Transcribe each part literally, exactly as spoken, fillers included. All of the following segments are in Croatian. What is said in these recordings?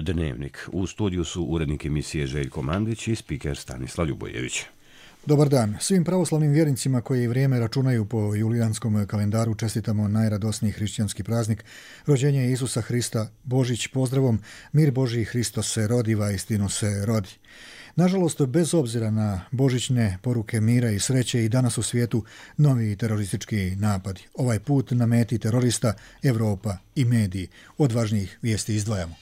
Dnevnik. U studiju su urednik emisije Željko Mandić i spiker Stanislav Ljubojević. Dobar dan. Svim pravoslavnim vjernicima koji vrijeme računaju po julijanskom kalendaru čestitamo najradosniji hrišćanski praznik, rođenje Isusa Hrista, Božić pozdravom, mir Božji, Hristos se rodi, vaistinu se rodi. Nažalost, bez obzira na božićne poruke mira i sreće, i danas u svijetu novi teroristički napadi. Ovaj put na meti terorista Europa i mediji. Od važnijih vijesti izdvajamo.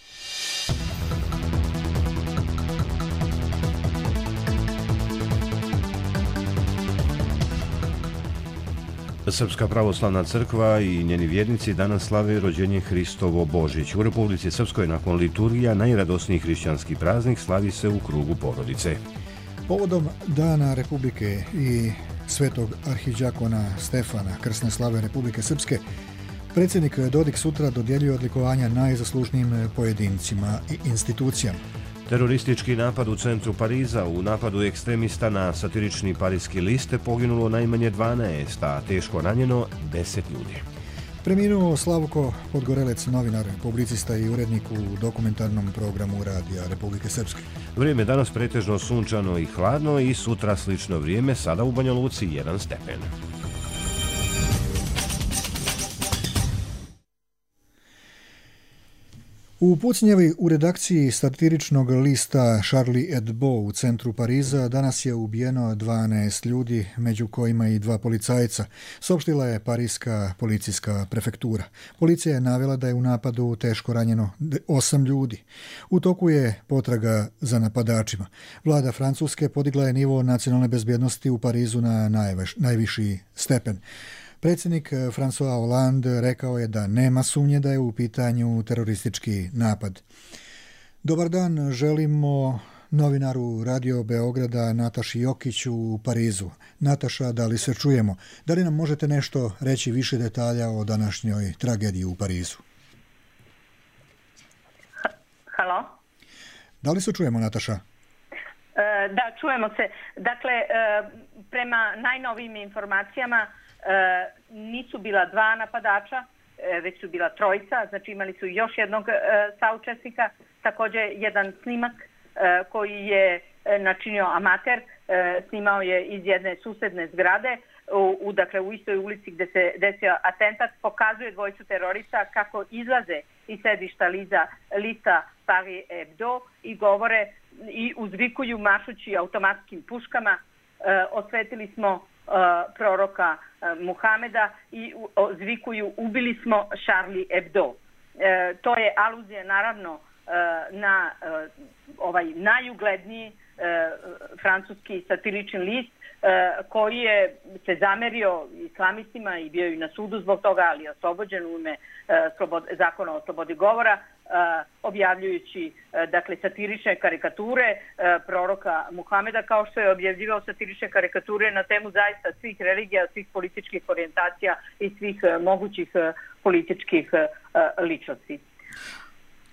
Srpska pravoslavna crkva i njeni vjernici danas slave rođenje Hristovo Božić. U Republici Srpskoj nakon liturgija najradosniji hrišćanski praznik slavi se u krugu porodice. Povodom Dana Republike i svetog arhidžakona Stefana, krsne slave Republike Srpske, predsjednik Dodik sutra dodjeljuje odlikovanja najzaslužnijim pojedincima i institucijama. Teroristički napad u centru Pariza. U napadu ekstremista na satirični parijski list poginulo najmanje dvanaest, a teško ranjeno deset ljudi. Preminuo Slavko Podgorelec, novinar, publicista i urednik u dokumentarnom programu Radija Republike Srpske. Vrijeme danas pretežno sunčano i hladno i sutra slično vrijeme, sada u Banja Luci jedan stepen. U pucnjavi u redakciji satiričnog lista Charlie Hebdo u centru Pariza danas je ubijeno dvanaest ljudi, među kojima i dva policajca, saopštila je parijska policijska prefektura. Policija je navela da je u napadu teško ranjeno osam ljudi. U toku je potraga za napadačima. Vlada Francuske podigla je nivo nacionalne bezbjednosti u Parizu na najviš, najviši stepen. Predsjednik François Hollande rekao je da nema sumnje da je u pitanju teroristički napad. Dobar dan, želimo novinaru Radio Beograda Nataši Jokiću u Parizu. Nataša, da li se čujemo? Da li nam možete nešto reći više detalja o današnjoj tragediji u Parizu? Halo? Da li se čujemo, Nataša? Da, čujemo se. Dakle, prema najnovijim informacijama nisu bila dva napadača, već su bila trojica, znači imali su još jednog saučesnika, također jedan snimak koji je načinio amater, snimao je iz jedne susedne zgrade, u, u, dakle u istoj ulici gdje se desio atentat, pokazuje dvojicu terorista kako izlaze iz sedišta liza, lista Charlie Hebdo i govore i uzvikuju mašući automatskim puškama, osvetili smo Uh, proroka uh, Muhameda i uh, zvikuju ubili smo Charlie Hebdo. Uh, to je aluzija naravno uh, na uh, ovaj najugledniji uh, francuski satirični list uh, koji je se zamerio islamistima i bio i na sudu zbog toga, ali je oslobođen u ime uh, slobod, zakona o slobodi govora, Uh, objavljujući uh, dakle satirične karikature uh, proroka Muhameda, kao što je objavljivao satirične karikature na temu zaista svih religija, svih političkih orijentacija i svih uh, mogućih uh, političkih uh, ličnosti.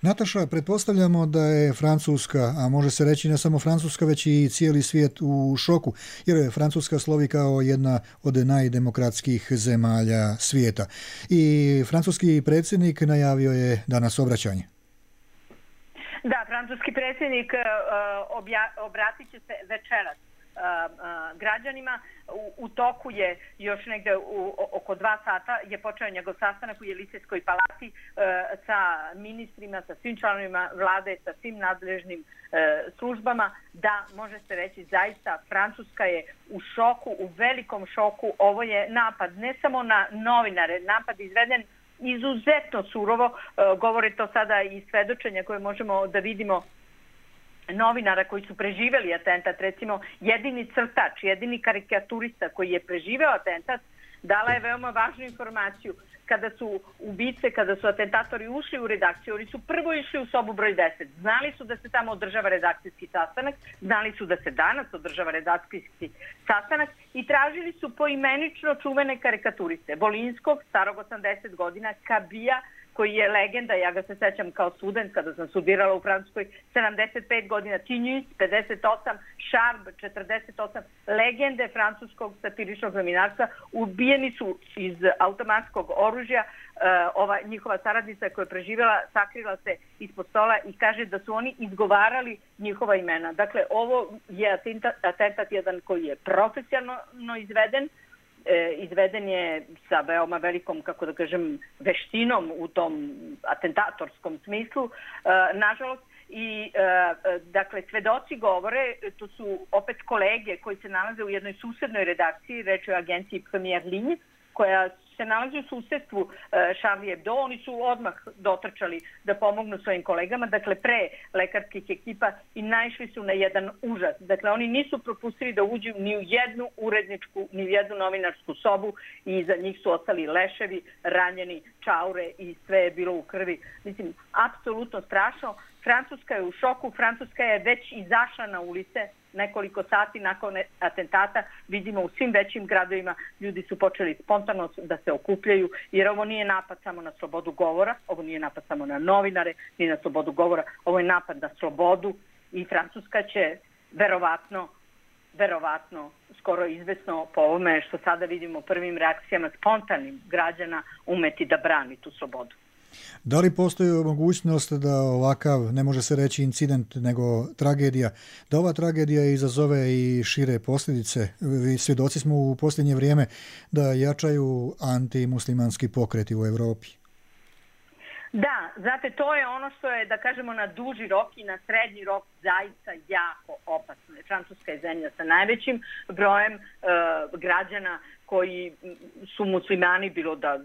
Nataša, pretpostavljamo da je Francuska, a može se reći ne samo Francuska, već i cijeli svijet u šoku, jer je Francuska slovi kao jedna od najdemokratskijih zemalja svijeta. I francuski predsjednik najavio je danas obraćanje. Da, francuski predsjednik uh, obja, obratit će se večeras uh, uh, građanima. U, u toku je još negde u, oko dva sata je počeo njegov sastanak u Jelisejskoj palati uh, sa ministrima, sa svim članovima vlade, sa svim nadležnim uh, službama. Da, može se reći zaista, Francuska je u šoku, u velikom šoku. Ovo je napad ne samo na novinare, napad izveden izuzetno surovo, uh, govore to sada i svedočenja koje možemo da vidimo novinara koji su preživjeli atentat, recimo jedini crtač, jedini karikaturista koji je preživeo atentat, dala je veoma važnu informaciju. Kada su ubice, kada su atentatori ušli u redakciju, oni su prvo išli u sobu broj deset. Znali su da se tamo održava redakcijski sastanak, znali su da se danas održava redakcijski sastanak i tražili su poimenično čuvene karikaturiste. Volinskog, starog osamdeset godina, Kabija, koji je legenda, ja ga se sećam kao student kada sam studirala u Francuskoj, sedamdeset pet godina, Tinus, pedeset osam, Šarb, četrdeset osam, legende francuskog satiričnog novinarstva, ubijeni su iz automatskog oružja. Ova njihova saradnica koja je preživjela sakrila se ispod stola i kaže da su oni izgovarali njihova imena. Dakle, ovo je atentat, atentat jedan koji je profesionalno izveden, e, izveden je sa veoma velikom, kako da kažem, veštinom u tom atentatorskom smislu, e, nažalost. I, e, dakle, svedoci govore, to su opet kolege koji se nalaze u jednoj susednoj redakciji, reč je o agenciji Première Ligne, koja se nalazi u susedstvu Charlie Hebdo. Oni su odmah dotrčali da pomognu svojim kolegama, dakle pre lekarskih ekipa, i naišli su na jedan užas. Dakle, oni nisu propustili da uđu ni u jednu uredničku, ni u jednu novinarsku sobu i iza njih su ostali leševi, ranjeni, čaure i sve je bilo u krvi. Mislim, apsolutno strašno. Francuska je u šoku, Francuska je već izašla na ulice nekoliko sati nakon atentata. Vidimo u svim većim gradovima ljudi su počeli spontano da se okupljaju, jer ovo nije napad samo na slobodu govora, ovo nije napad samo na novinare, ni na slobodu govora, ovo je napad na slobodu i Francuska će verovatno, verovatno, skoro izvesno po ovome što sada vidimo prvim reakcijama spontanim građana umeti da brani tu slobodu. Da li postoji mogućnost da ovakav, ne može se reći incident, nego tragedija, da ova tragedija izazove i šire posljedice? Svjedoci smo u posljednje vrijeme da jačaju antimuslimanski pokreti u Europi. Da, znate, to je ono što je, da kažemo, na duži rok i na srednji rok zaista jako opasno. Francuska je zemlja sa najvećim brojem e, građana koji su muslimani, bilo da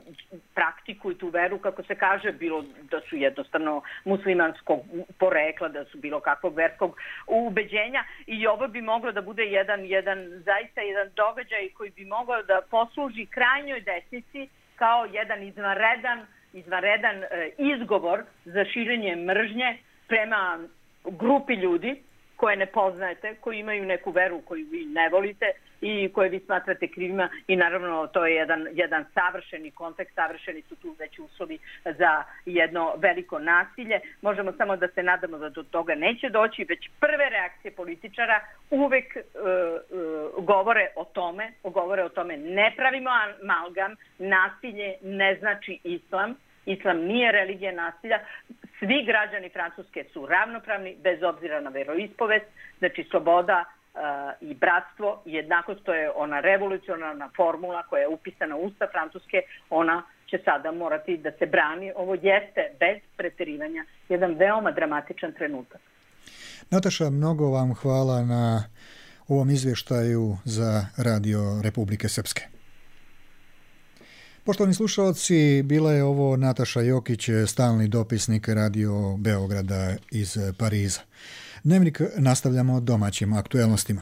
praktikuju tu veru, kako se kaže, bilo da su jednostavno muslimanskog porekla, da su bilo kakvog verskog ubeđenja, i ovo bi moglo da bude jedan, jedan zaista jedan događaj koji bi mogao da posluži krajnjoj desnici kao jedan izvanredan izvanredan e, izgovor za širenje mržnje prema grupi ljudi koje ne poznajete, koji imaju neku veru koju vi ne volite i koje vi smatrate krivima, i naravno to je jedan, jedan savršeni kontekst, savršeni su tu već uslovi za jedno veliko nasilje. Možemo samo da se nadamo da do toga neće doći, već prve reakcije političara uvek e, e, govore o tome, govore o tome ne pravimo amalgam, nasilje ne znači islam, islam nije religija nasilja, svi građani Francuske su ravnopravni bez obzira na veroispovest, znači sloboda uh, i bratstvo i jednakost, to je ona revolucionarna formula koja je upisana u Ustav Francuske, ona će sada morati da se brani. Ovo jeste bez preterivanja jedan veoma dramatičan trenutak. Nataša, mnogo vam hvala na ovom izvještaju za Radio Republike Srpske. Poštovani slušalci, bila je ovo Nataša Jokić, stalni dopisnik Radio Beograda iz Pariza. Dnevnik nastavljamo domaćim aktuelnostima.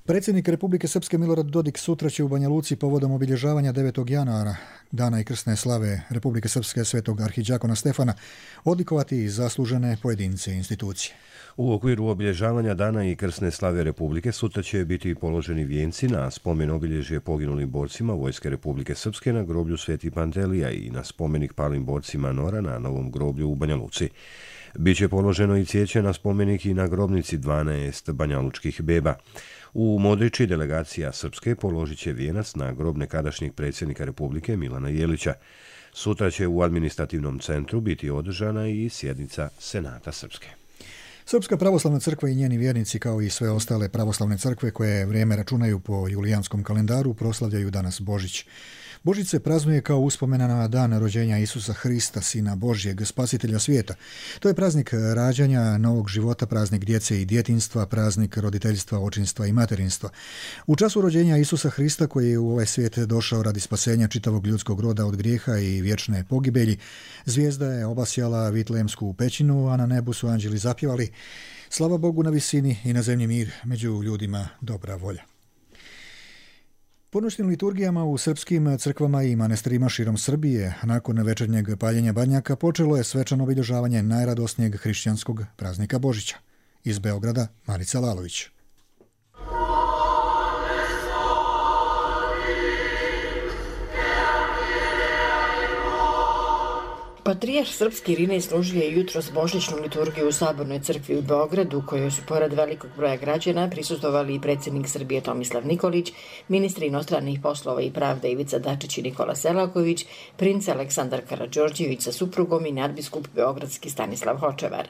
Predsjednik Republike Srpske Milorad Dodik sutra će u Banja Luci povodom obilježavanja devetog januara, dana i krsne slave Republike Srpske svetog arhidžakona Stefana, odlikovati zaslužene pojedince i institucije. U okviru obilježavanja dana i krsne slave Republike sutra će biti položeni vijenci na spomen obilježje poginulim borcima Vojske Republike Srpske na groblju Sveti Pantelija i na spomenik palim borcima Nora na novom groblju u Banja Luci. Biće položeno i cvijeće na spomenik i na grobnici dvanaest banjalučkih beba. U Modriči delegacija Srpske položit će vijenac na grob nekadašnjeg predsjednika Republike Milana Jelića. Sutra će u administrativnom centru biti održana i sjednica Senata Srpske. Srpska pravoslavna crkva i njeni vjernici, kao i sve ostale pravoslavne crkve koje vrijeme računaju po julijanskom kalendaru, proslavljaju danas Božić. Božić se praznuje kao uspomena na dan rođenja Isusa Hrista, Sina Božjeg, spasitelja svijeta. To je praznik rađanja, novog života, praznik djece i djetinjstva, praznik roditeljstva, očinstva i materinstva. U času rođenja Isusa Hrista, koji je u ovaj svijet došao radi spasenja čitavog ljudskog roda od grijeha i vječne pogibelji, zvijezda je obasjala Vitlejemsku pećinu, a na nebu su anđeli zapjevali: slava Bogu na visini i na zemlji mir, među ljudima dobra volja. Po noćnim liturgijama u srpskim crkvama i manastirima širom Srbije, nakon večernjeg paljenja badnjaka, počelo je svečano obilježavanje najradosnijeg hrišćanskog praznika Božića. Iz Beograda, Marica Lalović. Patrijarh srpski Irinej služio je jutros božićnu liturgiju u Sabornoj crkvi u Beogradu, u kojoj su pored velikog broja građana prisustvovali i predsjednik Srbije Tomislav Nikolić, ministri inostranih poslova i pravde Ivica Dačić i Nikola Selaković, princ Aleksandar Karađorđević sa suprugom i nadbiskup beogradski Stanislav Hočevar.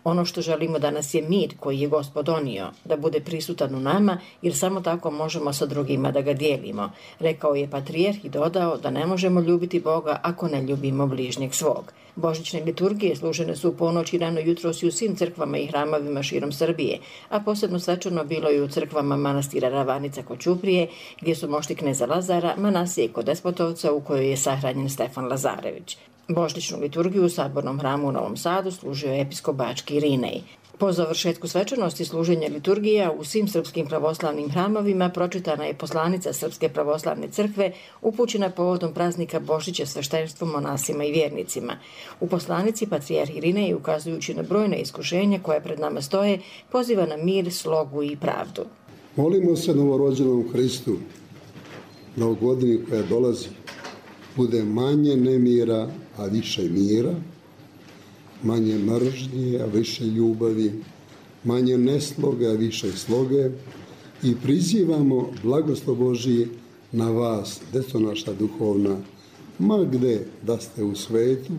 Ono što želimo danas je mir koji je Gospod donio, da bude prisutan u nama, jer samo tako možemo sa drugima da ga dijelimo, rekao je patrijarh i dodao da ne možemo ljubiti Boga ako ne ljubimo bližnjeg svog. Božićne liturgije služene su u ponoć i rano jutros i u svim crkvama i hramovima širom Srbije, a posebno svečano bilo i u crkvama manastira Ravanica kod Ćuprije, gdje su mošti kneza Lazara, Manasije kod Despotovca, u kojoj je sahranjen Stefan Lazarević. Božićnu liturgiju u Sabornom hramu u Novom Sadu služio je episkop bački Irinej. Po završetku svečanosti služenja liturgija u svim srpskim pravoslavnim hramovima pročitana je poslanica Srpske pravoslavne crkve upućena povodom praznika Božića sveštenstvom monasima i vjernicima. U poslanici patrijarh Irinej, ukazujući na brojna iskušenja koja pred nama stoje, poziva na mir, slogu i pravdu. Molimo se novorođenom Hristu, da u godini koja dolazi bude manje nemira, a više mira, manje mržnje, a više ljubavi, manje nesloge, a više sloge, i prizivamo blagoslov Božji na vas, deco naša duhovna, ma gde da ste u svetu,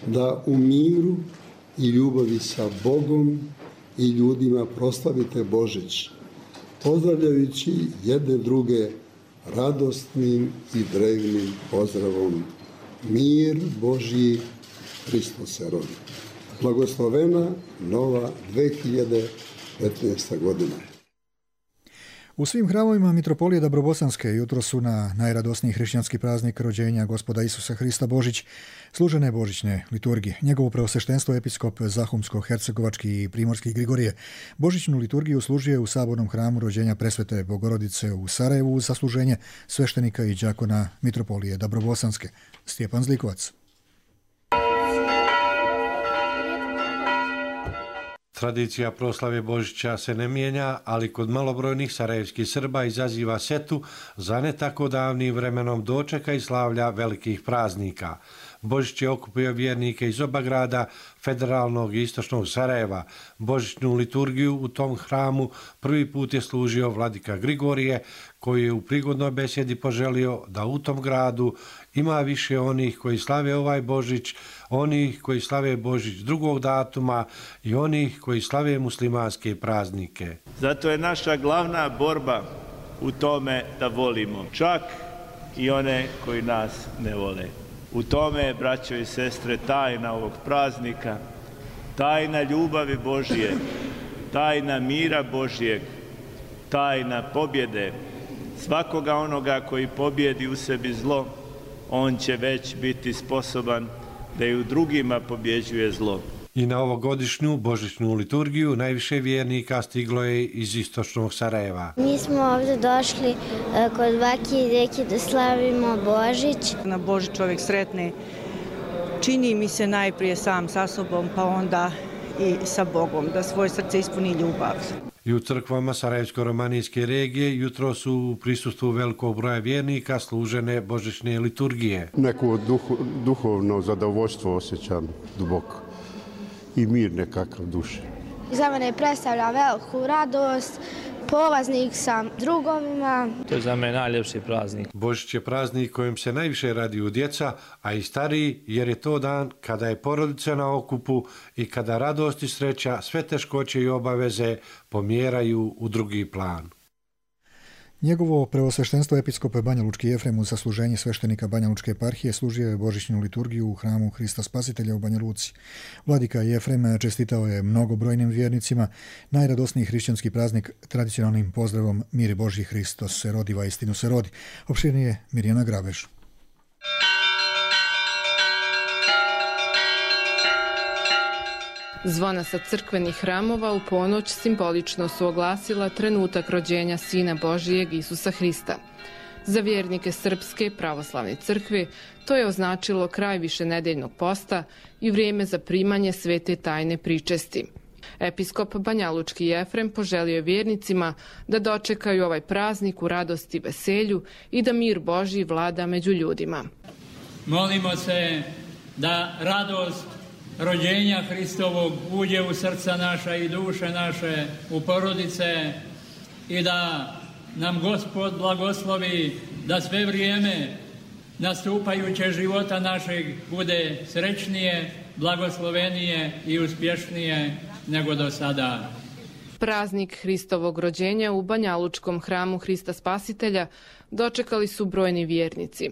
da u miru i ljubavi sa Bogom i ljudima proslavite Božić, pozdravljajući jedne druge radosnim i drevnim pozdravom. Mir Božji, Hristos se rodi. Blagoslovena nova dve hiljade petnaesta godina. U svim hramovima Mitropolije Dabrobosanske jutro su na najradosniji hrišćanski praznik rođenja Gospoda Isusa Hrista Božić služene božićne liturgije. Njegovo preosveštenstvo episkop Zahumsko-hercegovački i primorski Grigorije božićnu liturgiju služio je u Sabornom hramu rođenja Presvete Bogorodice u Sarajevu uz sasluženje sveštenika i đakona Mitropolije Dabrobosanske. Stjepan Zlikovac. Tradicija proslave Božića se ne mijenja, ali kod malobrojnih sarajevskih Srba izaziva setu za ne tako davnim vremenom dočeka i slavlja velikih praznika. Božić je okupio vjernike iz oba grada, federalnog i istočnog Sarajeva. Božićnu liturgiju u tom hramu prvi put je služio vladika Grigorije, koji je u prigodnoj besjedi poželio da u tom gradu ima više onih koji slave ovaj Božić, onih koji slave Božić drugog datuma i onih koji slave muslimanske praznike. Zato je naša glavna borba u tome da volimo čak i one koji nas ne vole. U tome je, braćo i sestre, tajna ovog praznika, tajna ljubavi Božje, tajna mira Božjeg, tajna pobjede. Svakoga onoga koji pobjedi u sebi zlo, on će već biti sposoban da i u drugima pobjeđuje zlo. I na ovogodišnju božićnu liturgiju najviše vjernika stiglo je iz istočnog Sarajeva. Mi smo ovdje došli kod bake i deke da slavimo Božić. Na Božić čovjek sretne, čini mi se najprije sam sa sobom, pa onda i sa Bogom, da svoje srce ispuni ljubav. I u crkvama Sarajevsko-romanijske regije jutro su u prisustvu velikog broja vjernika služene božićne liturgije. Neko duho, duhovno zadovoljstvo osjećam duboko i mir nekakav duše. Za mene predstavlja veliku radost, polaznik sam drugovima. To je za mene najljepši praznik. Božić je praznik kojim se najviše raduju djeca, a i stariji, jer je to dan kada je porodica na okupu i kada radost i sreća, sve teškoće i obaveze pomjeraju u drugi plan. Njegovo preosveštenstvo episkop Banja Lučki Jefrem uz sasluženje sveštenika Banja Lučke eparhije služio je božićnu liturgiju u hramu Hrista Spasitelja u Banja Luci. Vladika Jefrem čestitao je mnogobrojnim vjernicima najradosniji hrišćanski praznik tradicionalnim pozdravom Mir Božji, Hristos se rodi, va istinu se rodi. Opširnije Mirjana Grabež. Zvona sa crkvenih hramova u ponoć simbolično su oglasila trenutak rođenja Sina Božijeg Isusa Hrista. Za vjernike Srpske pravoslavne crkve to je označilo kraj višenedeljnog posta i vrijeme za primanje svete tajne pričesti. Episkop Banja Lučki Jefrem poželio je vjernicima da dočekaju ovaj praznik u radosti i veselju i da mir Božji vlada među ljudima. Molimo se da radost rođenja Hristovog uđe u srca naša i duše naše, u porodice i da nam Gospod blagoslovi da sve vrijeme nastupajuće života našeg bude srećnije, blagoslovenije i uspješnije nego do sada. Praznik Hristovog rođenja u Banjalučkom hramu Hrista Spasitelja dočekali su brojni vjernici.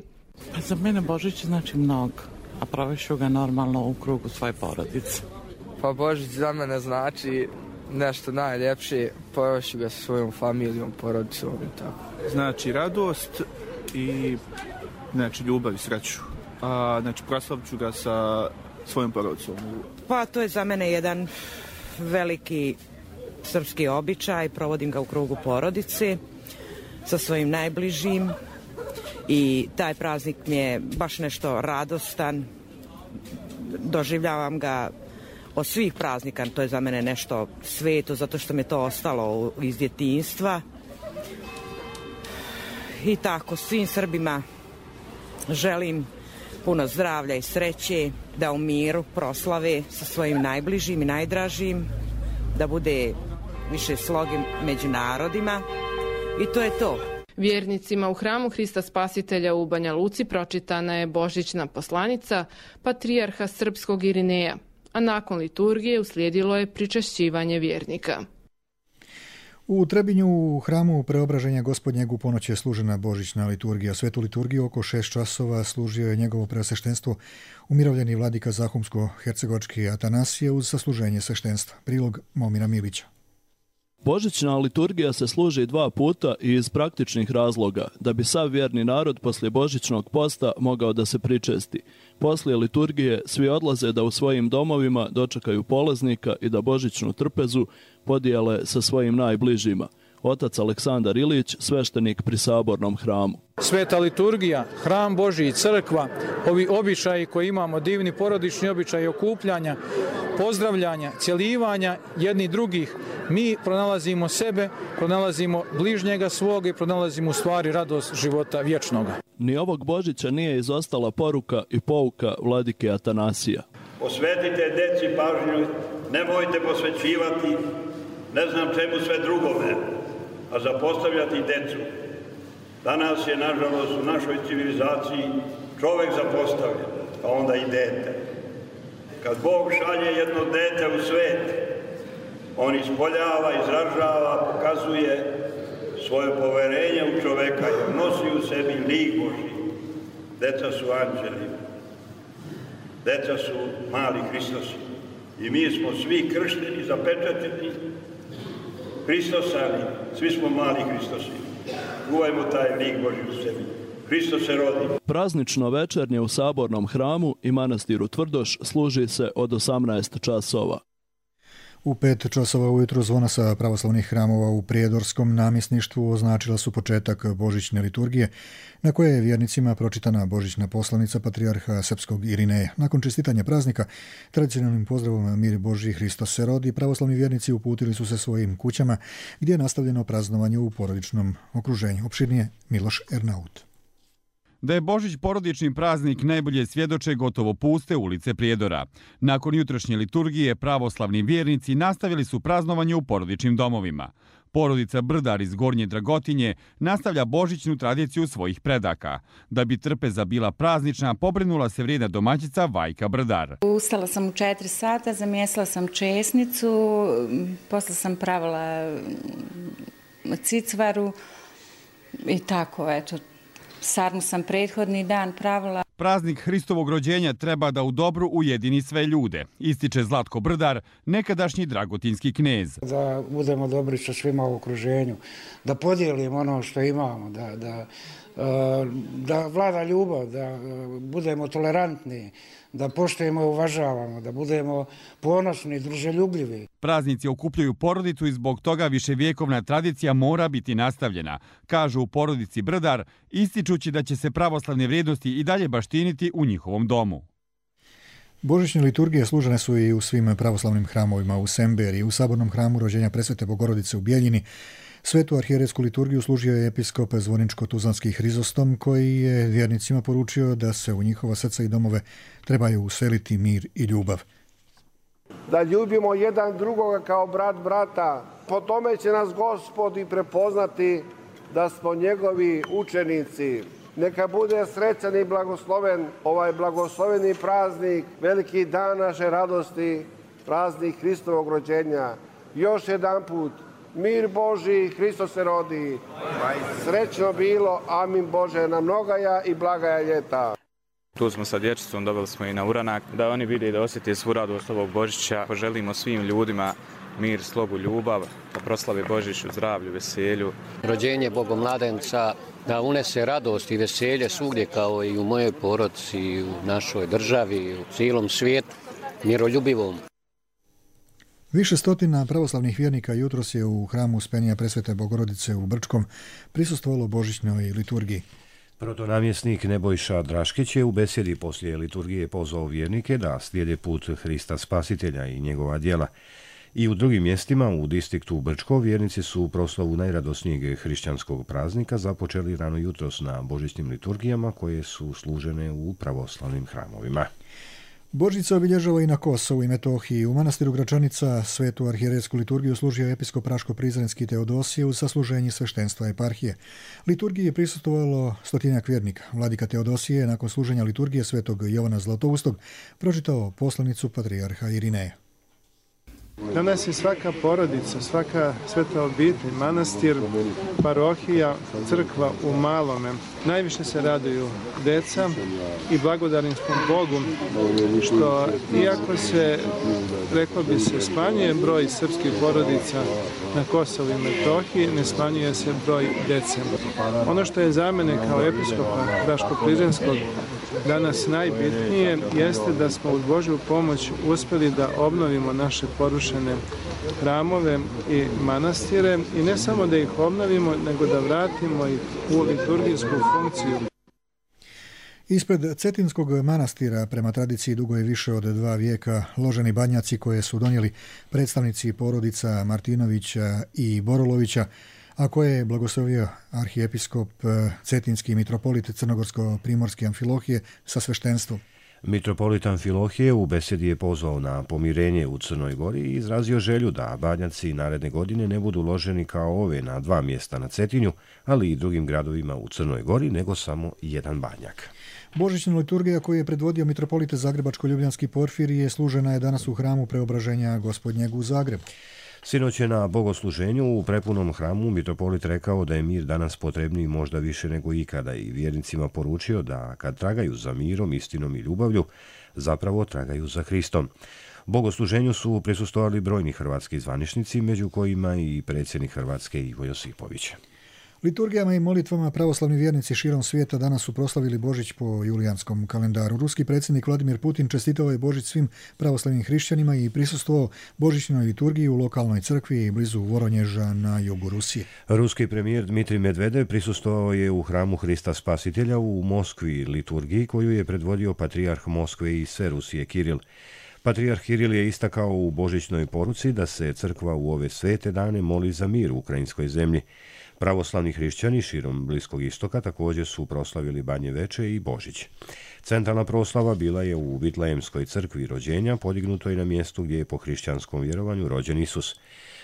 Pa za mene Božić znači mnogo, a provešu ga normalno u krugu svoje porodice. Pa Božić za mene znači nešto najljepše, provešu ga sa svojom familijom, porodicom i tako. Znači radost i znači ljubav i sreću. A, znači proslavit ću ga sa svojom porodicom. Pa to je za mene jedan veliki srpski običaj, provodim ga u krugu porodice sa svojim najbližim i taj praznik mi je baš nešto radostan, doživljavam ga od svih praznika, to je za mene nešto sveto zato što mi je to ostalo iz djetinjstva i tako svim Srbima želim puno zdravlja i sreće, da u miru proslave sa svojim najbližim i najdražim, da bude više sloge među narodima i to je to. Vjernicima u hramu Hrista Spasitelja u Banja Luci pročitana je božićna poslanica patrijarha srpskog Irineja, a nakon liturgije uslijedilo je pričašćivanje vjernika. U Trebinju u hramu Preobraženja Gospodnjeg u ponoć je služena božićna liturgija. Svetu liturgiju oko šest časova služio je njegovo preosveštenstvo umirovljeni vladika Zahumsko-hercegovački Atanasije uz sasluženje sveštenstva. Prilog Momira Milića. Božićna liturgija se služi dva puta i iz praktičnih razloga, da bi sav vjerni narod poslije božićnog posta mogao da se pričesti. Poslije liturgije svi odlaze da u svojim domovima dočekaju polaznika i da božićnu trpezu podijele sa svojim najbližima. Otac Aleksandar Ilić, sveštenik pri Sabornom hramu. Sveta liturgija, hram Božji i crkva, ovi običaji koji imamo, divni porodični običaji okupljanja, pozdravljanja, cjelivanja jedni drugih, mi pronalazimo sebe, pronalazimo bližnjega svoga i pronalazimo u stvari radost života vječnoga. Ni ovog Božića nije izostala poruka i pouka vladike Atanasija. Posvetite deci pažnju, nemojte posvećivati ne znam čemu sve drugome, a zapostavljati decu. Danas je, nažalost, u našoj civilizaciji čovjek zapostavljen, pa onda i dete. Kad Bog šalje jedno dete u svet, on ispoljava, izražava, pokazuje svoje poverenje u čoveka jer nosi u sebi lik Božji. Deca su anđeli, deca su mali Hristosi i mi smo svi kršteni, zapečateni, Hristosani, svi smo mali Hristosi. Čuvajmo taj lik Božji u sebi. Hristos se rodi. Praznično večernje u Sabornom hramu i manastiru Tvrdoš služi se od osamnaest časova. U pet časova ujutro zvona sa pravoslavnih hramova u Prijedorskom namjesništvu označila su početak božićne liturgije, na koje je vjernicima pročitana božićna poslanica patrijarha srpskog Irineja. Nakon čestitanja praznika, tradicionalnim pozdravom Mir Božji, Hristos se rodi, pravoslavni vjernici uputili su se svojim kućama, gdje je nastavljeno praznovanje u porodičnom okruženju. Opširnije Miloš Ernaut. Da je Božić porodični praznik najbolje svjedoče gotovo puste ulice Prijedora. Nakon jutrošnje liturgije pravoslavni vjernici nastavili su praznovanje u porodičnim domovima. Porodica Brdar iz Gornje Dragotinje nastavlja božićnu tradiciju svojih predaka. Da bi trpeza bila praznična, pobrinula se vrijedna domaćica Vajka Brdar. Ustala sam u četiri sata, zamjesila sam česnicu, posle sam pravila cicvaru i tako, eto. Sarmu sam prethodni dan pravila. Praznik Hristovog rođenja treba da u dobru ujedini sve ljude, ističe Zlatko Brdar, nekadašnji dragotinski knez. Da budemo dobri sa svima u okruženju, da podijelimo ono što imamo, da, da, da vlada ljubav, da budemo tolerantni, da poštujemo i uvažavamo, da budemo ponosni, druželjubljivi. Praznici okupljaju porodicu i zbog toga viševjekovna tradicija mora biti nastavljena, kažu u porodici Brdar, ističući da će se pravoslavne vrijednosti i dalje baštiniti u njihovom domu. Božićne liturgije služene su i u svim pravoslavnim hramovima u Semberiji, u Sabornom hramu Rođenja Presvete Bogorodice u Bijeljini. Svetu arhijerejsku liturgiju služio je episkop Zvorničko-Tuzlanski Hrizostom, koji je vjernicima poručio da se u njihova srca i domove trebaju useliti mir i ljubav. Da ljubimo jedan drugoga kao brat brata, po tome će nas Gospod i prepoznati da smo njegovi učenici. Neka bude srećan i blagosloven ovaj blagosloveni praznik, veliki dan naše radosti, praznik Hristovog rođenja. Još jedan put, mir Božji, Hristos se rodi. Srećno bilo, amin Bože, na mnogaja i blagaja ljeta. Tu smo sa dječicom, dobili smo i na uranak, da oni vide i da osjeti svu radost ovog Božića. Poželimo svim ljudima mir, slogu, ljubav, da proslave Božić u zdravlju, veselju. Rođenje Bogomladenca da unese radost i veselje svugdje, kao i u mojoj porodici, i u našoj državi, u cijelom svijetu, miroljubivom. Više stotina pravoslavnih vjernika jutros je u hramu Uspenija Presvete Bogorodice u Brčkom prisustvovalo božićnoj liturgiji. Protonamjesnik Nebojša Draškić je u besjedi poslije liturgije pozvao vjernike da slijede put Hrista Spasitelja i njegova djela. I u drugim mjestima u distriktu Brčko vjernici su proslavu najradosnijeg hrišćanskog praznika započeli rano jutros na božićnim liturgijama koje su služene u pravoslavnim hramovima. Božić se obilježava i na Kosovu i Metohiji. U manastiru Gračanica Svetu arhijerejsku liturgiju služio episkop Raško-Prizrenski Teodosije uz sasluženje sveštenstva eparhije. Liturgiji je prisustvovalo stotinjak vjernika. Vladika Teodosije je nakon služenja liturgije Svetog Jovana Zlatoustog pročitao poslanicu patrijarha Irineja. Danas je svaka porodica, svaka sveta obitelj, manastir, parohija, crkva u malome. Najviše se raduju deca i blagodarni smo Bogu što, iako se, reklo bi se, smanjuje broj srpskih porodica na Kosovu i Metohiji, ne smanjuje se broj dece. Ono što je za mene kao episkopa Raško-Prizrenskog danas najbitnije jeste da smo uz Božju pomoć uspjeli da obnovimo naše porušene hramove i manastire i ne samo da ih obnovimo, nego da vratimo ih u liturgijsku funkciju. Ispred Cetinskog manastira, prema tradiciji dugo je više od dva vijeka, loženi banjaci koje su donijeli predstavnici porodica Martinovića i Borolovića, a koje je blagoslovio arhijepiskop Cetinski mitropolit Crnogorsko-Primorske Amfilohije sa sveštenstvom. Mitropolit Amfilohije u besedi je pozvao na pomirenje u Crnoj Gori i izrazio želju da banjaci naredne godine ne budu loženi kao ove na dva mjesta na Cetinju, ali i drugim gradovima u Crnoj Gori, nego samo jedan banjak. Božićna liturgija koju je predvodio mitropolit Zagrebačko-Ljubljanski Porfirije služena je danas u hramu Preobraženja Gospodnjeg u Zagrebu. Sinoć je na bogosluženju u prepunom hramu mitropolit rekao da je mir danas potrebniji možda više nego ikada i vjernicima poručio da kad tragaju za mirom, istinom i ljubavlju, zapravo tragaju za Hristom. Bogosluženju su prisustvovali brojni hrvatski zvaničnici, među kojima i predsjednik Hrvatske Ivo Josipović. Liturgijama i molitvama pravoslavni vjernici širom svijeta danas su proslavili Božić po julijanskom kalendaru. Ruski predsjednik Vladimir Putin čestitao je Božić svim pravoslavnim hrišćanima i prisustvovao božićnoj liturgiji u lokalnoj crkvi blizu Voronježa na jugu Rusije. Ruski premijer Dmitrij Medvedev prisustvovao je u hramu Hrista Spasitelja u Moskvi liturgiji koju je predvodio patrijarh Moskve i sve Rusije Kiril. Patrijarh Kiril je istakao u božićnoj poruci da se crkva u ove svete dane moli za mir u ukrajinskoj zemlji. Pravoslavni hrišćani širom Bliskog istoka također su proslavili Banje Veče i Božić. Centralna proslava bila je u Vitlejemskoj crkvi rođenja, podignutoj na mjestu gdje je po hrišćanskom vjerovanju rođen Isus.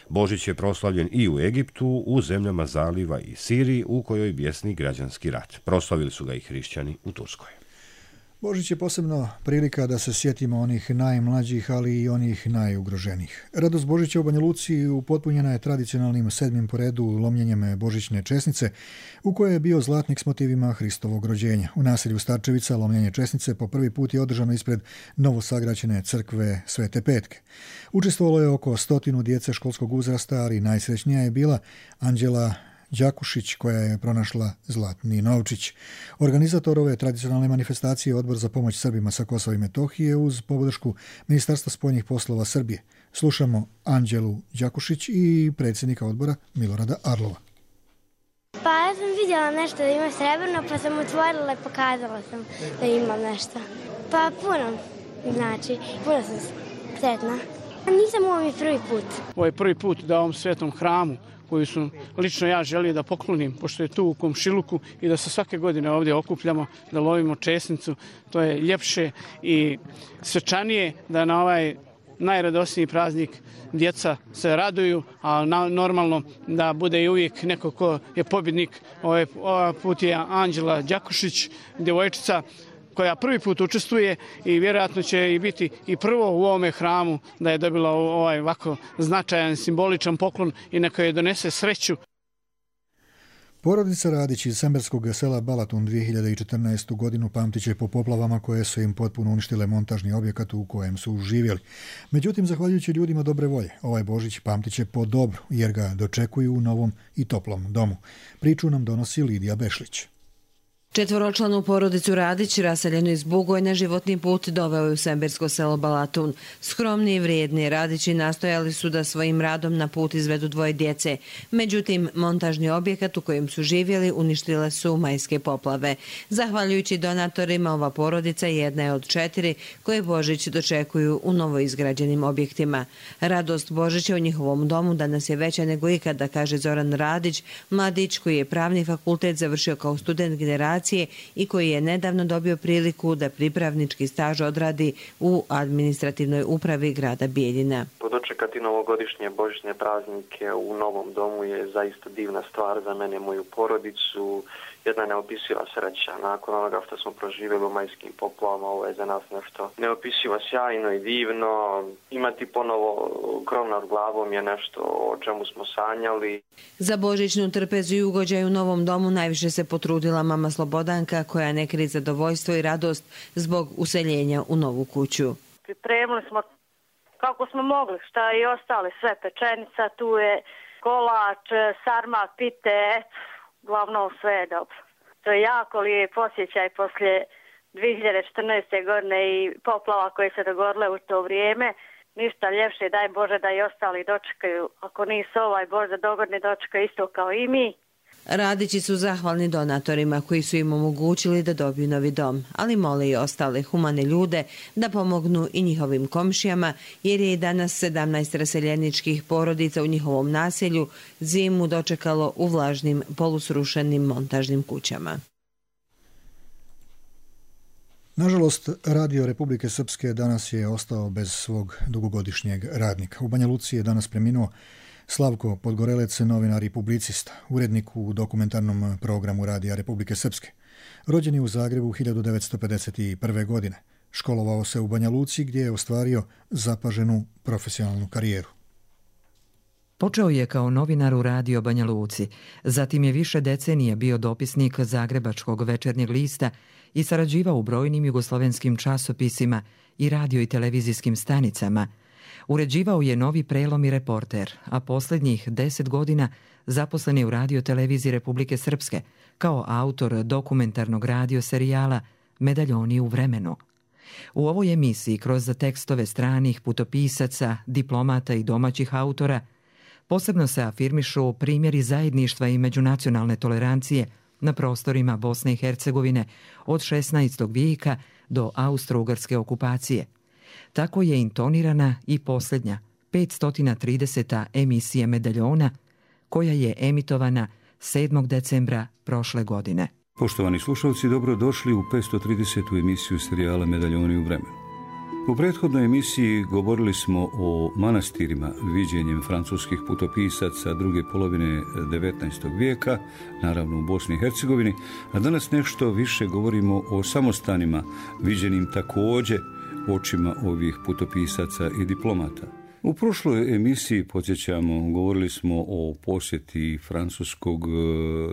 Božić je proslavljen i u Egiptu, u zemljama Zaliva i Siriji, u kojoj bjesni građanski rat. Proslavili su ga i hrišćani u Turskoj. Božić je posebno prilika da se sjetimo onih najmlađih, ali i onih najugroženijih. Radost Božića u Banja Luci upotpunjena je tradicionalnim sedmim po redu lomljenjem božićne česnice, u kojoj je bio zlatnik s motivima Hristovog rođenja. U naselju Starčevica lomljenje česnice po prvi put je održano ispred novosagrađene crkve Svete Petke. Učestvovalo je oko stotinu djece školskog uzrasta, ali najsrećnija je bila Anđela Đakušić koja je pronašla zlatni novčić. Organizator ove tradicionalne manifestacije je Odbor za pomoć Srbima sa Kosova i Metohije uz podršku Ministarstva spoljnih poslova Srbije. Slušamo Anđelu Đakušić i predsjednika odbora Milorada Arlova. Pa ja sam vidjela nešto da ima srebrno, pa sam otvorila i pokazala sam da ima nešto. Pa puno, znači, puno sam sretna. Nisam ovo mi prvi put. Ovo je prvi put da u ovom svetom hramu koju su lično ja želio da poklonim, pošto je tu u komšiluku i da se svake godine ovdje okupljamo, da lovimo česnicu. To je ljepše i svečanije da na ovaj najradosniji praznik djeca se raduju, a na, normalno da bude i uvijek neko ko je pobjednik. Ovaj, ovaj put je Anđela Đakušić, djevojčica koja prvi put učestvuje i vjerojatno će i biti i prvo u ovome hramu da je dobila ovaj ovako značajan simboličan poklon i neka joj donese sreću. Porodica Radić iz semberskog sela Balatun dvije hiljade četrnaestu godinu pamtit će po poplavama koje su im potpuno uništile montažni objekat u kojem su živjeli. Međutim, zahvaljujući ljudima dobre volje, ovaj Božić pamtit će po dobru jer ga dočekuju u novom i toplom domu. Priču nam donosi Lidija Bešlić. Četvoročlanu porodicu Radić, raseljenu iz Bugojna, životni put doveo je u sembersko selo Balatun. Skromni i vrijedni Radići nastojali su da svojim radom na put izvedu dvoje djece. Međutim, montažni objekat u kojem su živjeli uništile su majske poplave. Zahvaljujući donatorima, ova porodica jedna je od četiri koje Božić dočekuju u novoizgrađenim objektima. Radost Božića u njihovom domu danas je veća nego ikada, kaže Zoran Radić, mladić koji je pravni fakultet završio kao student generacije i koji je nedavno dobio priliku da pripravnički staž odradi u administrativnoj upravi grada Bijeljina. Dočekati novogodišnje božićne praznike u novom domu je zaista divna stvar za mene i moju porodicu, jedna neopisiva sreća. Nakon onoga što smo proživjeli u majskim poplavama, ovo je za nas nešto neopisivo sjajno i divno. Imati ponovo krov nad glavom je nešto o čemu smo sanjali. Za božićnu trpezu i ugođaj u novom domu najviše se potrudila mama Slobodanka, koja ne krije zadovoljstvo i radost zbog useljenja u novu kuću. Pripremili smo kako smo mogli, šta i ostale, sve pečenica, tu je kolač, sarma, pite, glavno sve je dobro. To je jako lijep osjećaj poslije dvije hiljade četrnaeste. godine i poplava koje se dogodile u to vrijeme. Ništa ljepše, daj Bože da i ostali dočekaju. Ako nisu ovaj Bože dogodni dočekaju isto kao i mi. Radići su zahvalni donatorima koji su im omogućili da dobiju novi dom, ali mole i ostale humane ljude da pomognu i njihovim komšijama, jer je i danas sedamnaest raseljeničkih porodica u njihovom naselju zimu dočekalo u vlažnim, polusrušenim montažnim kućama. Nažalost, Radio Republike Srpske danas je ostao bez svog dugogodišnjeg radnika. U Banja Luci je danas preminuo Slavko Podgorelec, novinar i publicista, urednik u dokumentarnom programu Radija Republike Srpske. Rođen je u Zagrebu hiljadu devetsto pedeset prve. godine. Školovao se u Banja Luci gdje je ostvario zapaženu profesionalnu karijeru. Počeo je kao novinar u Radio Banja Luci, zatim je više decenija bio dopisnik Zagrebačkog večernjeg lista i sarađivao u brojnim jugoslovenskim časopisima i radio i televizijskim stanicama. Uređivao je Novi prelom i Reporter, a posljednjih deset godina zaposlen je u Radio televiziji Republike Srpske kao autor dokumentarnog radio serijala Medaljoni u vremenu. U ovoj emisiji kroz tekstove stranih putopisaca, diplomata i domaćih autora posebno se afirmišu primjeri zajedništva i međunacionalne tolerancije na prostorima Bosne i Hercegovine od šesnaestog vijeka do austro-ugarske okupacije. Tako je intonirana i posljednja petsto trideseta emisija Medaljona, koja je emitovana sedmog decembra prošle godine. Poštovani slušalci, dobrodošli u petsto tridesetu emisiju serijala Medaljoni u vremenu. U prethodnoj emisiji govorili smo o manastirima viđenjem francuskih putopisaca druge polovine devetnaestog vijeka, naravno u Bosni i Hercegovini, a danas nešto više govorimo o samostanima viđenim također očima ovih putopisaca i diplomata. U prošloj emisiji, podsjećamo, govorili smo o posjeti francuskog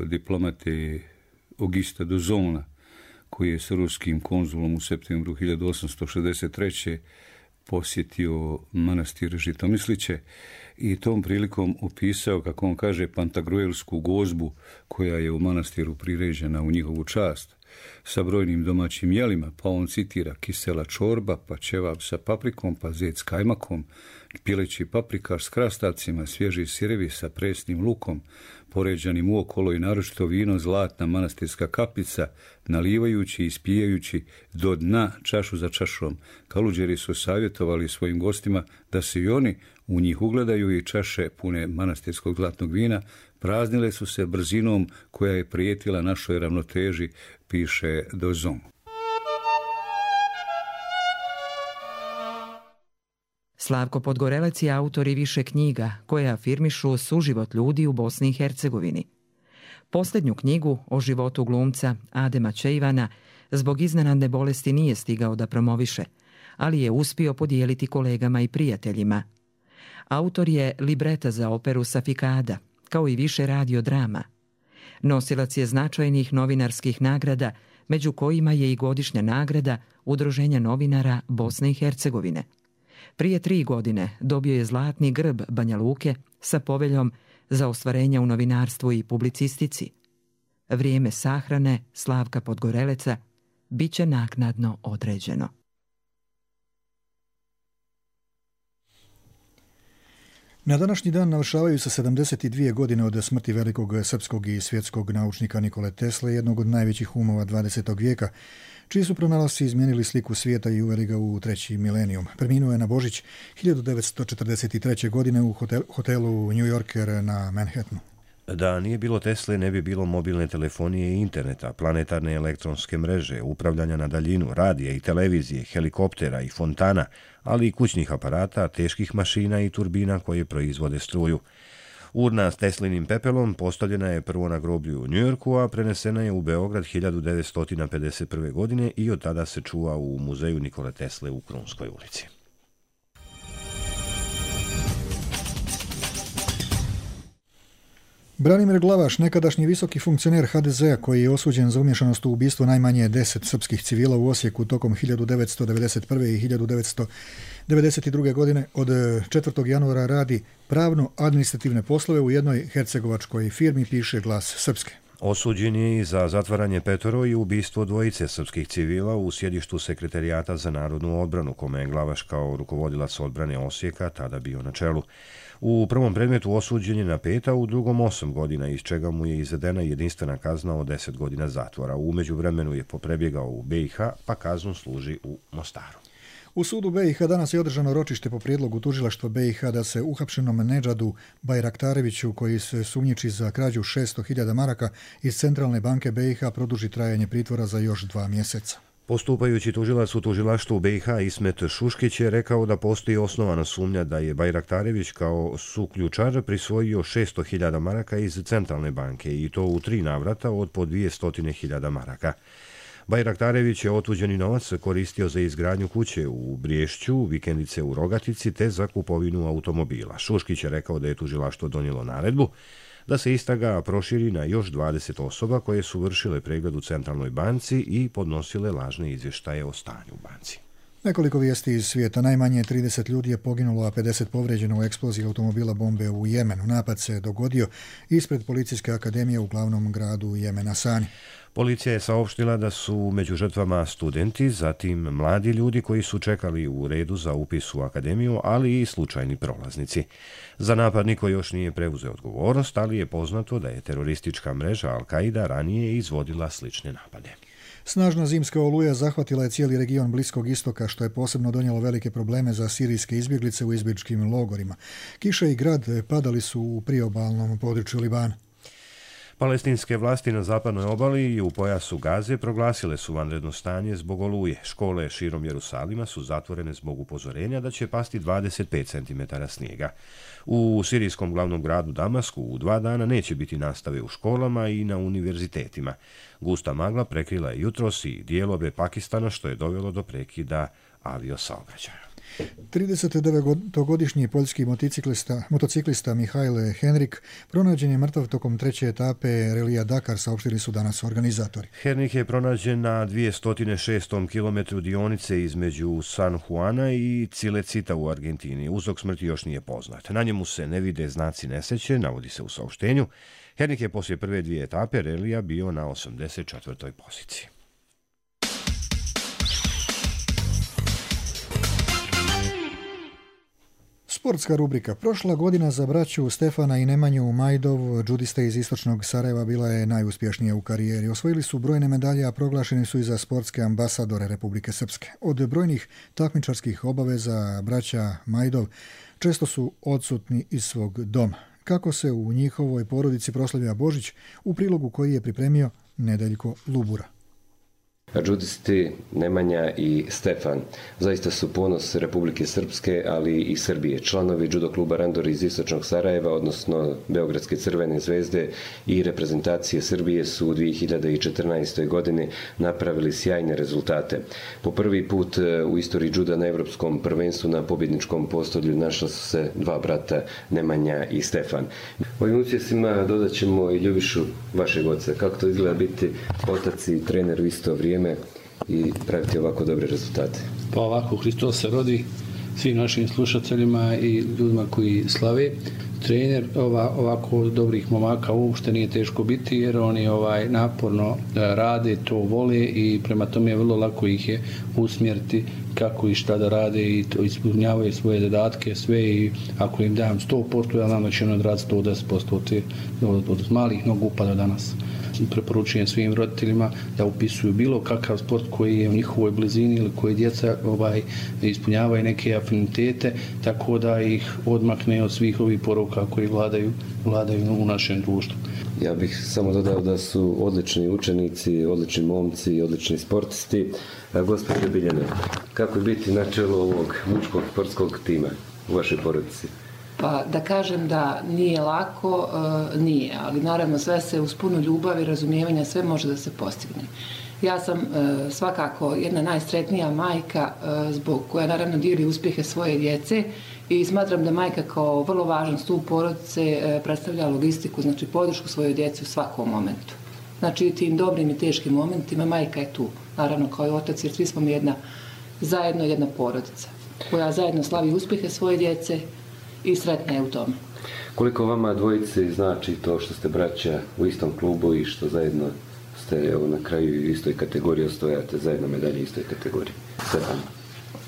diplomate Augusta d'Ozona, koji je sa ruskim konzulom u septembru hiljadu osamsto šezdeset treće. posjetio manastir Žitomisliće i tom prilikom opisao, kako on kaže, pantagruelsku gozbu koja je u manastiru priređena u njihovu čast. sa brojnim domaćim jelima, pa on citira kisela čorba, pa ćevap sa paprikom, pa zec s kajmakom, pileći paprikaš s krastavcima, svježi sirevi sa presnim lukom, poređanim uokolo i naročito vino zlatna manastirska kapica, nalivajući i ispijajući do dna čašu za čašom. Kaluđeri su savjetovali svojim gostima da se i oni u njih ugledaju i čaše pune manastirskog zlatnog vina praznile su se brzinom koja je prijetila našoj ravnoteži, piše Dozon. Slavko Podgorelec je autor i više knjiga koje afirmišu suživot ljudi u Bosni i Hercegovini. Posljednju knjigu o životu glumca Adema Čejvana zbog iznenadne bolesti nije stigao da promoviše, ali je uspio podijeliti kolegama i prijateljima. Autor je libreta za operu Safikada, kao i više radiodrama. Nosilac je značajnih novinarskih nagrada, među kojima je i godišnja nagrada Udruženja novinara Bosne i Hercegovine. Prije tri godine dobio je zlatni grb Banja Luke sa poveljom za ostvarenja u novinarstvu i publicistici. Vrijeme sahrane Slavka Podgoreleca bit će naknadno određeno. Na današnji dan navršavaju se sedamdeset dvije godine od smrti velikog srpskog i svjetskog naučnika Nikole Tesle, jednog od najvećih umova dvadesetog vijeka, čiji su pronalasci izmijenili sliku svijeta i uveli ga u treći milenijum. Preminuo je na Božić hiljadu devetsto četrdeset treće. godine u hotel, hotelu New Yorker na Manhattanu. Da nije bilo Tesle, ne bi bilo mobilne telefonije i interneta, planetarne elektronske mreže, upravljanja na daljinu, radija i televizije, helikoptera i fontana, ali i kućnih aparata, teških mašina i turbina koje proizvode struju. Urna s Teslinim pepelom postavljena je prvo na groblju u Njujorku, a prenesena je u Beograd hiljadu devetsto pedeset prve. godine i od tada se čuva u muzeju Nikole Tesle u Krunskoj ulici. Branimir Glavaš, nekadašnji visoki funkcioner ha de zea koji je osuđen za umješanost u ubistvo najmanje deset srpskih civila u Osijeku tokom hiljadu devetsto devedeset prve. i hiljadu devetsto devedeset druge. godine, od četvrtog januara radi pravno-administrativne poslove u jednoj hercegovačkoj firmi, piše Glas Srpske. Osuđen je i za zatvaranje petoro i ubistvo dvojice srpskih civila u sjedištu Sekretarijata za narodnu odbranu, kome je Glavaš kao rukovodilac odbrane Osijeka tada bio na čelu. U prvom predmetu osuđen je na pet, a u drugom osam godina, iz čega mu je izvedena jedinstvena kazna od deset godina zatvora. U međuvremenu je poprebjegao u be i ha, pa kaznu služi u Mostaru. U sudu be i ha danas je održano ročište po prijedlogu tužilaštva be i ha da se uhapšenom Nedžadu Bajraktareviću, koji se sumnjiči za krađu šesto hiljada maraka iz Centralne banke be i ha, produži trajanje pritvora za još dva mjeseca. Postupajući tužilac u tužilaštvu be i ha Ismet Šuškić je rekao da postoji osnovana sumnja da je Bajraktarević kao suključar prisvojio šesto hiljada maraka iz Centralne banke i to u tri navrata od po dvjesto hiljada maraka. Bajraktarević je otuđeni novac koristio za izgradnju kuće u Briješću, vikendice u Rogatici te za kupovinu automobila. Šuškić je rekao da je tužilaštvo donijelo naredbu da se istraga proširi na još dvadeset osoba koje su vršile pregled u Centralnoj banci i podnosile lažne izvještaje o stanju u banci. Nekoliko vijesti iz svijeta. Najmanje trideset ljudi je poginulo, a pedeset povrijeđeno u eksploziji automobila bombe u Jemenu. Napad se dogodio ispred Policijske akademije u glavnom gradu Jemena, Sani. Policija je saopštila da su među žrtvama studenti, zatim mladi ljudi koji su čekali u redu za upis u akademiju, ali i slučajni prolaznici. Za napad niko još nije preuzeo odgovornost, ali je poznato da je teroristička mreža Al-Qaida ranije izvodila slične napade. Snažna zimska oluja zahvatila je cijeli region Bliskog istoka, što je posebno donijelo velike probleme za sirijske izbjeglice u izbjegličkim logorima. Kiša i grad padali su u priobalnom području Libana. Palestinske vlasti na zapadnoj obali i u pojasu Gaze proglasile su vanredno stanje zbog oluje. Škole širom Jerusalima su zatvorene zbog upozorenja da će pasti dvadeset pet centimetara snijega. U sirijskom glavnom gradu Damasku u dva dana neće biti nastave u školama i na univerzitetima. Gusta magla prekrila je jutros i dijelove Pakistana, što je dovelo do prekida aviosaobraćaja. tridesetdevetogodišnji poljski motociklista, motociklista Mihajl Henrik pronađen je mrtav tokom treće etape relija Dakar, saopštili su danas organizatori. Henrik je pronađen na dvjesto šestom kilometru dionice između San Juana i Cilecita u Argentini. Uzrok smrti još nije poznat. Na njemu se ne vide znaci nesreće, navodi se u saopštenju. Henrik je poslije prve dvije etape relija bio na osamdeset četvrtoj poziciji. Sportska rubrika. Prošla godina za braću Stefana i Nemanju Majdov, džudiste iz istočnog Sarajeva, bila je najuspješnija u karijeri. Osvojili su brojne medalje, a proglašeni su i za sportske ambasadore Republike Srpske. Od brojnih takmičarskih obaveza braća Majdov često su odsutni iz svog doma. Kako se u njihovoj porodici proslavlja Božić, u prilogu koji je pripremio Nedeljko Lubura. Džudisti Nemanja i Stefan zaista su ponos Republike Srpske, ali i Srbije. Članovi judo kluba Randor iz istočnog Sarajeva, odnosno Beogradske Crvene zvezde i reprezentacije Srbije su u dvije hiljade četrnaestoj. godini napravili sjajne rezultate. Po prvi put u istoriji juda na evropskom prvenstvu na pobjedničkom postolju našla su se dva brata Nemanja i Stefan. Ovim uspjesima dodat ćemo i Ljubišu, vašeg oca. Kako to izgleda biti otac i trener u isto vrijeme i praviti ovako dobre rezultate? Pa ovako, Hristos se rodi svim našim slušateljima i ljudima koji slave. Trener ova, ovako dobrih momaka uopšte nije teško biti, jer oni ovaj naporno rade, to vole i prema tome je vrlo lako ih je usmjeriti kako i šta da rade i to ispunjavaju svoje zadatke, sve, i ako im dam sto posto, ja znam da će oni odraditi sto deset posto od, od, od malih nogu pa do danas. Preporučujem svim roditeljima da upisuju bilo kakav sport koji je u njihovoj blizini ili koji djeca ovaj, ispunjavaju neke afinitete, tako da ih odmakne od svih ovih poruka koji vladaju, vladaju u našem društvu. Ja bih samo dodao da su odlični učenici, odlični momci, odlični sportisti. Gospođo Biljana, kako je biti na čelu ovog muškog sportskog tima u vašoj porodici? Pa da kažem da nije lako, nije, ali naravno sve se uz puno ljubavi i razumijevanja sve može da se postigne. Ja sam svakako jedna najsretnija majka zbog koja naravno dijeli uspjehe svoje djece i smatram da majka kao vrlo važan stup porodice predstavlja logistiku, znači podršku svojoj djeci u svakom momentu. Znači i tim dobrim i teškim momentima majka je tu, naravno kao i otac, jer svi smo mi jedna, zajedno jedna porodica koja zajedno slavi uspjehe svoje djece i sretna je u tome. Koliko vama dvojice znači to što ste braća u istom klubu i što zajedno ste evo, na kraju u istoj kategoriji osvajate zajedno medalje u istoj kategoriji? Stefan.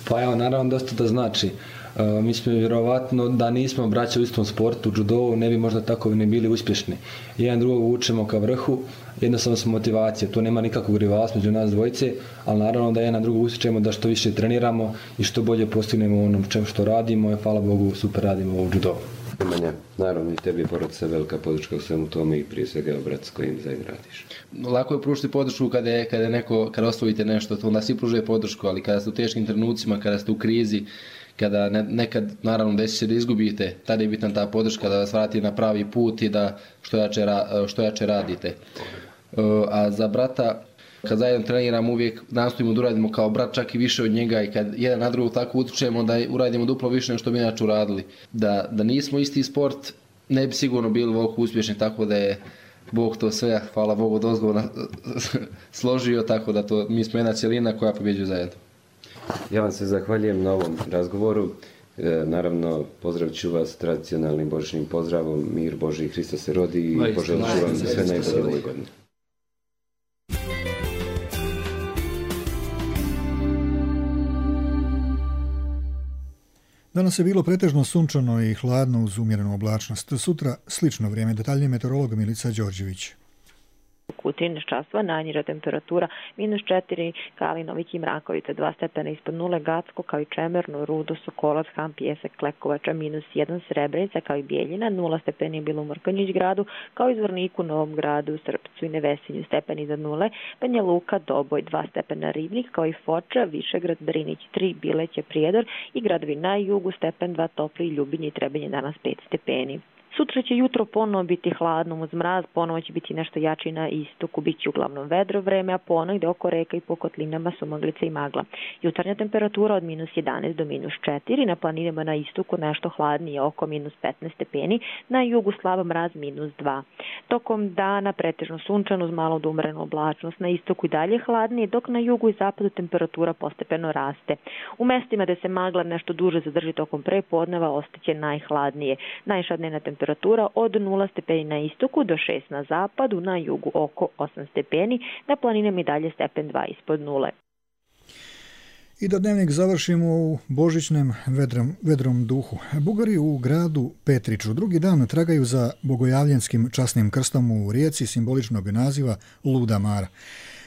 Pa evo, naravno dosta da znači. E, mi smo vjerovatno da nismo braća u istom sportu, judovu, ne bi možda tako ni bili uspješni. Jedan drugog učemo ka vrhu, jednostavno smo motivacije, to nema nikakvog rivalstva među nas dvojice, ali naravno da jedan drugog usjećamo da što više treniramo i što bolje postignemo onom čemu što radimo i hvala Bogu super radimo u judovu. Nemanja, naravno i tebi je porodica velika podrška u svemu tome i prije svega brat s kojim zajedno radiš. Lako je pružiti podršku kada je, kada je neko, kada osvojite nešto, to onda svi pružuje podršku, ali kada ste u teškim trenucima, kada ste u krizi, kada ne, nekad naravno desi se da izgubite, tada je bitna ta podrška da vas vrati na pravi put i da što jače, što jače radite. A za brata, kad zajedno treniramo, uvijek nastojimo da uradimo kao brat, čak i više od njega, i kad jedan na drugog tako utičemo da uradimo duplo više nego što bi inače uradili. Da, da nismo isti sport, ne bi sigurno bili ovoliko uspješni, tako da je Bog to sve, hvala Bogu, dozgovno složio, tako da to, mi smo jedna cjelina koja pobjeđuje zajedno. Ja vam se zahvaljujem na ovom razgovoru. E, naravno, pozdravit ću vas tradicionalnim božićnim pozdravom, mir Božji, Hristos se rodi i poželit ću vam sve najbolje u ovoj godini. Danas je bilo pretežno sunčano i hladno uz umjerenu oblačnost. Sutra slično vrijeme. Detaljnije meteorolog Milica Đorđević. U trinaest časova najniža temperatura minus četiri, Kalinovik i Mrakovica dva stepena ispod nule, Gacko kao i Čemerno, Rudo, Sokolac, Han, Pjesak, Klekovača minus jedan, Srebrenica kao i Bijeljina, nula stepeni je bilo u Mrkonjić gradu, kao i Zvorniku, Novom gradu, Srpcu i Nevesinju stepeni iznad nule, Banja Luka, Doboj dva stepena, Ribnik kao i Foča, Višegrad, Drinić tri, Bileće, Prijedor i gradovi na jugu stepen dva, Topli, Ljubinje i Trebinje danas pet stepeni. Sutra će jutro ponovo biti hladno uz mraz, ponovo će biti nešto jači na istoku, bit će uglavnom vedro vreme, a ponegde oko reka i po kotlinama su maglica i magla. Jutarnja temperatura od minus jedanaest do minus četiri, na planinama na istoku nešto hladnije oko minus petnaest stepeni, na jugu slab mraz minus dva. Tokom dana pretežno sunčano uz malo do umrenu oblačnost, na istoku i dalje hladnije, dok na jugu i zapadu temperatura postepeno raste. U mestima gde se magla nešto duže zadrži tokom prepodneva ostaće najhladnije. Najviša dnevna temperatura temperatura od nula stepeni na istoku do šest na zapadu, na jugu oko osam stepeni, na planinama i dalje stepen dva ispod nule. I da dnevnik završimo u božićnem vedrom, vedrom duhu. Bugari u gradu Petriću drugi dan tragaju za bogojavljenskim časnim krstom u rijeci simboličnog naziva Luda Mara.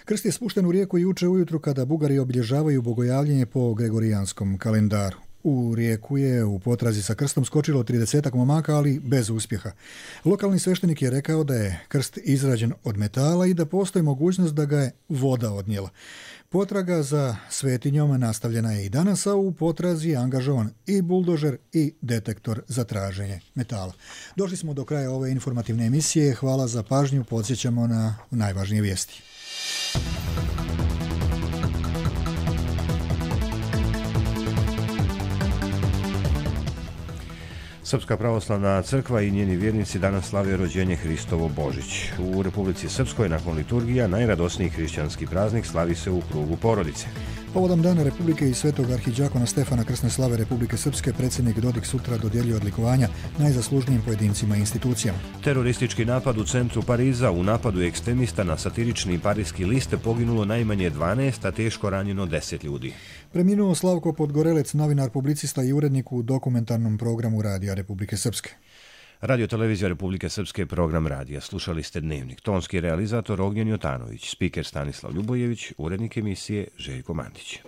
Krst je spušten u rijeku juče ujutru kada Bugari obilježavaju bogojavljenje po gregorijanskom kalendaru. U rijeku je u potrazi sa krstom skočilo tridesetak momaka, ali bez uspjeha. Lokalni sveštenik je rekao da je krst izrađen od metala i da postoji mogućnost da ga je voda odnijela. Potraga za svetinjom nastavljena je i danas, a u potrazi je angažovan i buldožer i detektor za traženje metala. Došli smo do kraja ove informativne emisije. Hvala za pažnju. Podsjećamo na najvažnije vijesti. Srpska pravoslavna crkva i njeni vjernici danas slave rođenje Hristovo Božić. U Republici Srpskoj nakon liturgija najradosniji hrišćanski praznik slavi se u krugu porodice. Povodom Dana Republike i svetog arhidžakona Stefana Krsne slave Republike Srpske predsjednik Dodik sutra dodjeljuje odlikovanja najzaslužnijim pojedincima i institucijama. Teroristički napad u centru Pariza. U napadu ekstremista na satirični parijski list poginulo najmanje dvanaest, a teško ranjeno deset ljudi. Preminuo Slavko Podgorelec, novinar, publicista i urednik u dokumentarnom programu Radija Republike Srpske. Radio televizija Republike Srpske, program radija. Slušali ste Dnevnik. Tonski realizator Ognjen Jotanović, spiker Stanislav Ljubojević, urednik emisije Željko Mandić.